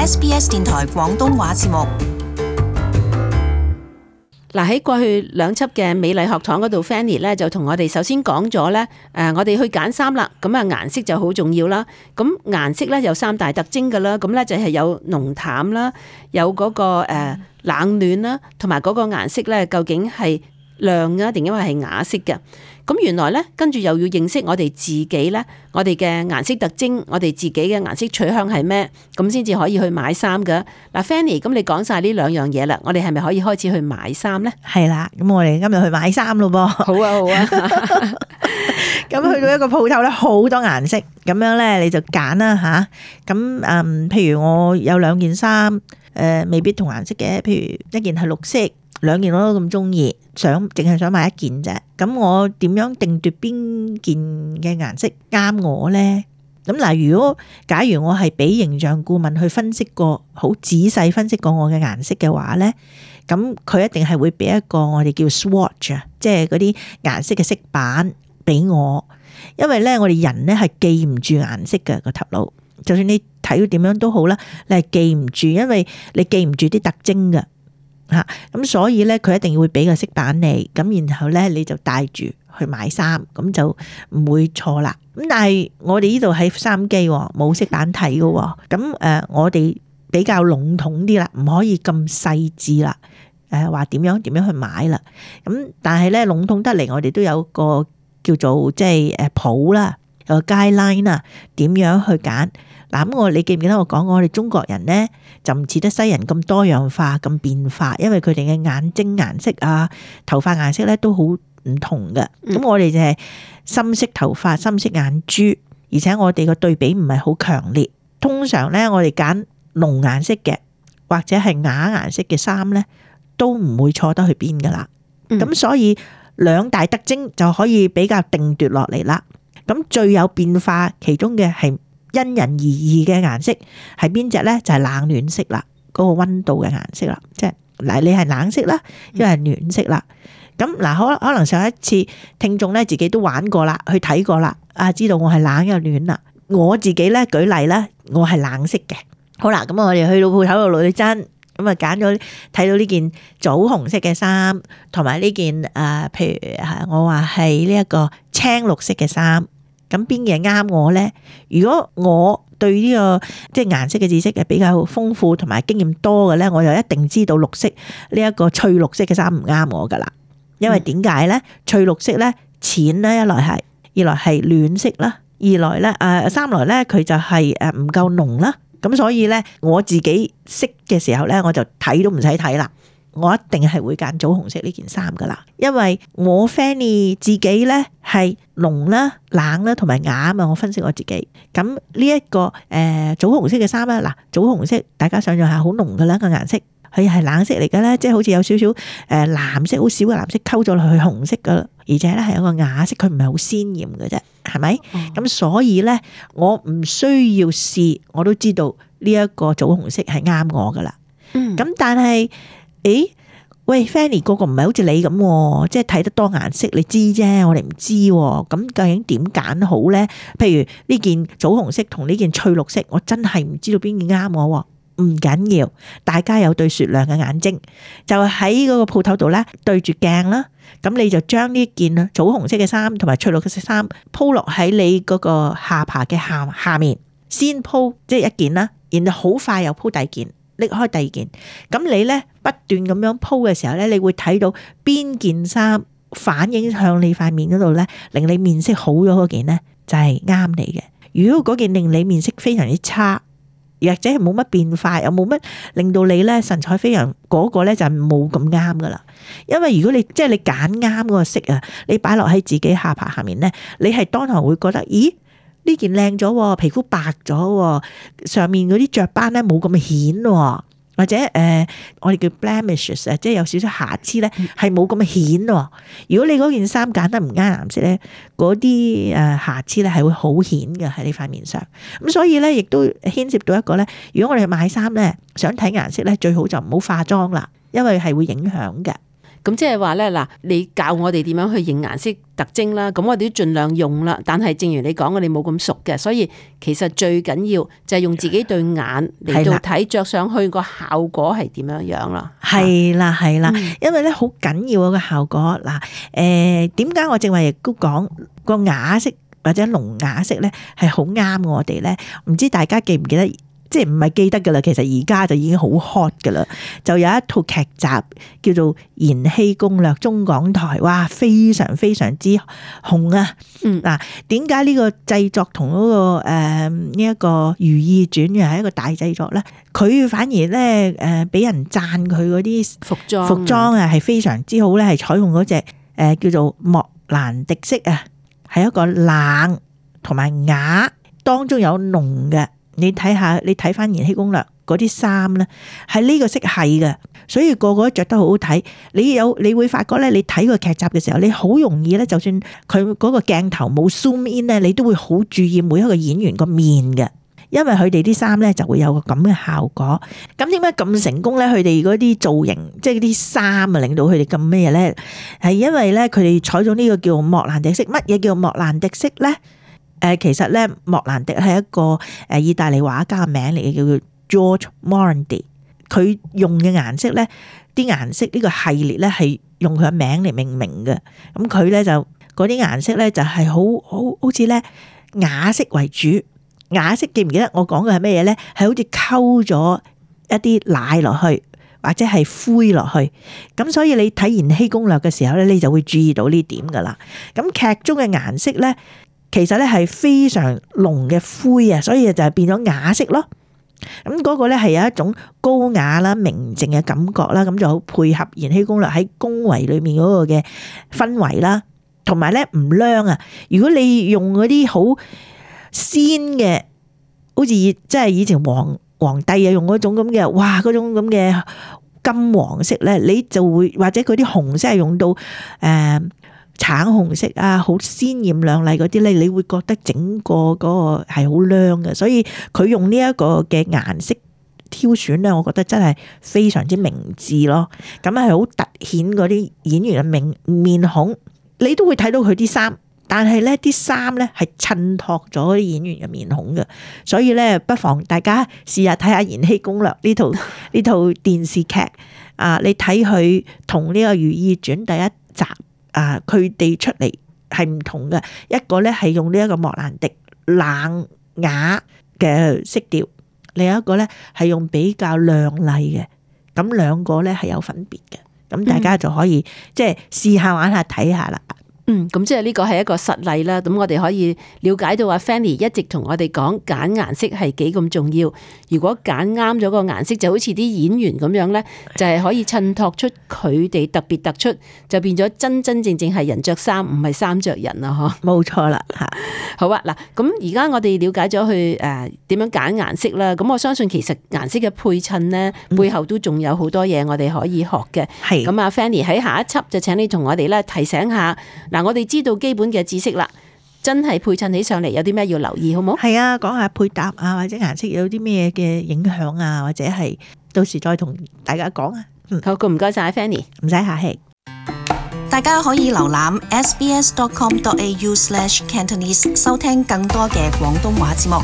SBS 電台廣東話節目。嗱，喺過去2輯嘅美麗學堂嗰度 Fanny 咧就同我哋首先講咗咧，我哋去揀衫啦，咁啊顏色就好重要啦。咁顏色咧有3大特徵噶啦，咁咧就係有濃淡啦，有嗰個冷暖啦，同埋嗰個顏色咧究竟係亮啊定因為係啞色嘅。咁原來咧跟住又要認識我哋自己咧，我哋嘅顏色特徵，我哋自己嘅顏色取向係咩，咁先至可以去買衫㗎。嗱 Fanny，咁你講晒呢2樣嘢啦，我哋係咪可以開始去買衫咧？係啦，咁我哋今日去買衫咯噃。好啊，好啊。咁去到一個鋪頭咧，好多顏色，咁樣咧你就揀啦吓。咁譬如我有2件衫，未必同顏色嘅，譬如一件係綠色，2件我都咁中意，淨係想買1件啫。咁我點樣定奪邊件嘅顏色啱我呢？咁嗱，假如我係俾形象顧問去分析過，好仔細分析過我嘅顏色嘅話呢，咁佢一定係會俾一個我哋叫 swatch 啊，即係嗰啲顏色嘅色板俾我。因為呢，我哋人呢係記唔住顏色嘅個頭腦，就算你睇到點樣都好啦，你係記唔住，因為你記唔住啲特徵嘅。咁所以咧，佢一定會俾個色板你，咁然後咧你就帶住去買衫，咁就唔會錯啦。咁但係我哋呢度喺收音機冇色板睇嘅，咁我哋比較籠統啲啦，唔可以咁細緻啦。話點樣去買啦？咁但係咧籠統得嚟，我哋都有個叫做即係譜啦，有個 guideline 啦，點樣去揀。嗱，咁你記唔記得我講過，我哋中國人呢就唔似得西人咁多樣化、咁變化，因為佢哋嘅眼睛顏色啊、頭髮顏色咧都好唔同嘅。咁我哋就係深色頭髮、深色眼珠，而且我哋個對比唔係好強烈。通常咧，我哋揀濃顏色嘅或者係啞顏色嘅衫咧，都唔會錯得去邊噶啦。咁所以2大特徵就可以比較定奪落嚟啦。咁最有變化其中嘅係因人而異嘅顏色係邊隻咧？就係冷暖色啦，嗰個溫度嘅顏色啦，即係嗱，你係冷色啦，因為係暖色啦。咁嗱，可能上一次聽眾咧自己都玩過啦，去睇過啦，知道我係冷又暖啦。我自己咧舉例啦，我係冷色嘅。好啦，咁我哋去到鋪頭度攞針，咁啊揀咗睇到呢件棗紅色嘅衫，同埋呢件譬如我話係呢一個青綠色嘅衫。咁邊嘢啱我呢？如果我對呢個即係顏色嘅知識係比較豐富同埋經驗多嘅呢，我就一定知道綠色呢一個翠綠色嘅衫唔啱我噶啦。因為點解呢？翠綠色呢，淺呢，一來係，二來係暖色啦，二來呢三來呢，佢就係唔夠濃啦。咁所以呢，我自己識嘅時候呢，我就睇都唔使睇啦。我一定係會揀棗紅色呢件衫噶啦，因為我 Fanny 自己咧係濃啦、冷啦同埋啞啊嘛，我分析我自己。咁呢一個棗紅色嘅衫啦，嗱，棗紅色大家想象下好濃噶啦個顏色，佢係冷色嚟噶啦，即係好似有少少藍色好少嘅藍色溝咗落去紅色噶，而且咧係一個啞色，佢唔係好鮮豔嘅啫，係咪？咁所以咧我唔需要試，我都知道呢一個棗紅色係啱我噶啦。咁但係喂 Fanny 個唔係好似你咁，即係睇得多顏色，你知啫，我哋唔知。咁究竟點揀好咧？譬如呢件棗紅色同呢件翠綠色，我真係唔知道邊件啱我。唔緊要，大家有對雪亮嘅眼睛，就喺嗰個鋪頭度咧對住鏡啦。咁你就將呢件棗紅色嘅衫同埋翠綠嘅色衫鋪落喺你嗰個下巴嘅下面，先鋪即係1件啦，然後好快又鋪第2件。拎開第2件，咁你咧不斷咁樣鋪嘅時候咧，你會睇到邊件衫反映向你塊面嗰度咧，令你面色好咗嗰件咧就係啱你嘅。如果嗰件令你面色非常之差，或者係冇乜變化，又冇乜令到你咧神采飛揚，嗰個咧就冇咁啱噶啦。因為如果你即係你揀啱嗰個色啊，你擺落喺自己下巴下面咧，你係當堂會覺得，咦？呢件靚咗，皮膚白咗，上面嗰啲雀斑咧冇咁顯，或者我哋叫 blemishes， 即係有少少瑕疵咧，係冇咁顯。如果你嗰件衫揀得唔啱顏色咧，嗰啲瑕疵咧係會好顯嘅喺你塊面上。咁所以咧，亦都牽涉到一個咧，如果我哋買衫咧，想睇顏色咧，最好就唔好化妝啦，因為係會影響嘅。咁即係話咧嗱，你教我哋點樣去認顏色特徵啦，咁我哋都盡量用啦。但係正如你講，我哋冇咁熟嘅，所以其實最緊要就係用自己對眼嚟到睇，着上去個效果係點樣樣啦。係啦，因為咧好緊要個效果嗱。點解我正話亦都講個啞色或者聾啞色咧係好啱我哋咧？唔知大家記唔記得？即係唔係記得噶啦，其實而家就已經好 hot 噶啦。就有一套劇集叫做《延禧攻略》，中港台，哇，非常非常之紅啊！嗱，點解呢個製作同嗰個呢一個《如懿傳》又係一個大製作咧？佢反而咧俾人讚佢嗰啲服裝啊係非常之好咧，係採用嗰隻叫做莫蘭迪色啊，係一個冷同埋啞，當中有濃嘅。你睇下，你睇翻《延禧攻略》嗰啲衫咧，係呢個色系嘅，所以個個都着得好好睇。你會發覺咧，你睇個劇集嘅時候，你好容易咧，就算佢嗰個鏡頭冇 zoom in 咧，你都會好注意每一個演員個面嘅，因為佢哋啲衫咧就會有個咁嘅效果。咁點解咁成功咧？佢哋嗰啲造型，即係啲衫啊，令到佢哋咁咩咧？係因為咧，佢哋採咗呢個叫莫蘭迪色。乜嘢叫莫蘭迪色咧？其實咧，莫蘭迪係一個意大利畫家嘅名嚟嘅，叫做 George Morandi。佢用嘅顏色咧，啲顏色呢個系列咧係用佢嘅名嚟命名嘅。咁佢咧就嗰啲顏色咧就係好似咧啞色為主。啞色記唔記得我講嘅係咩嘢咧？係好似溝咗一啲奶落去，或者係灰落去。咁所以你睇《延禧攻略》嘅時候咧，你就會注意到呢點噶啦。咁劇中嘅顏色咧，其實咧係非常濃嘅灰啊，所以就係變咗啞色咯。咁嗰個咧係有一種高雅啦、明淨嘅感覺啦，咁就好配合《延禧攻略》喺宮闱裏面嗰個嘅氛圍啦，同埋咧唔亮啊。如果你用嗰啲好鮮嘅，好似即係以前皇帝啊用嗰種咁嘅，哇嗰種咁嘅金黃色咧，你就會或者佢啲紅色係用到橙紅色啊，好鮮豔亮麗嗰啲咧，你會覺得整個嗰個係好亮嘅，所以佢用呢一個嘅顏色挑選咧，我覺得真係非常之明智咯。咁係好突顯嗰啲演員嘅面孔，你都會睇到佢啲衫，但係咧啲衫咧係襯托咗啲演員嘅面孔嘅，所以咧不妨大家試下睇下《延禧攻略》呢套電視劇啊，你睇佢同呢個《如懿傳》第一集。佢哋出嚟係唔同嘅，一個咧係用呢一個莫蘭迪冷啞嘅色調，另一個咧係用比較亮麗嘅，咁兩個咧係有分別嘅，咁大家就可以即係試下玩下睇下啦。咁即係呢個係一個實例啦。咁我哋可以了解到阿 Fanny 一直同我哋講揀顏色係幾咁重要。如果揀啱咗個顏色，就好似啲演員咁樣咧，就係可以襯托出佢哋特別突出，就變咗真真正正係人着衫，唔係衫着人啦。嗬，冇錯啦。吓，好啊。嗱，咁而家我哋了解咗去點樣揀顏色啦。咁我相信其實顏色嘅配襯咧，背後都仲有好多嘢我哋可以學嘅。係咁啊，Fanny 喺下一輯就請你同我哋咧提醒下。嗱，我哋知道基本嘅知識啦，真係配襯起上嚟有啲咩要留意，好冇？係啊，講下配搭啊，或者顏色有啲咩嘅影響啊，或者係到時再同大家講啊。好，唔該晒 Fanny， 唔使客氣。大家可以瀏覽 sbs.com.au/Cantonese 收聽更多嘅廣東話節目。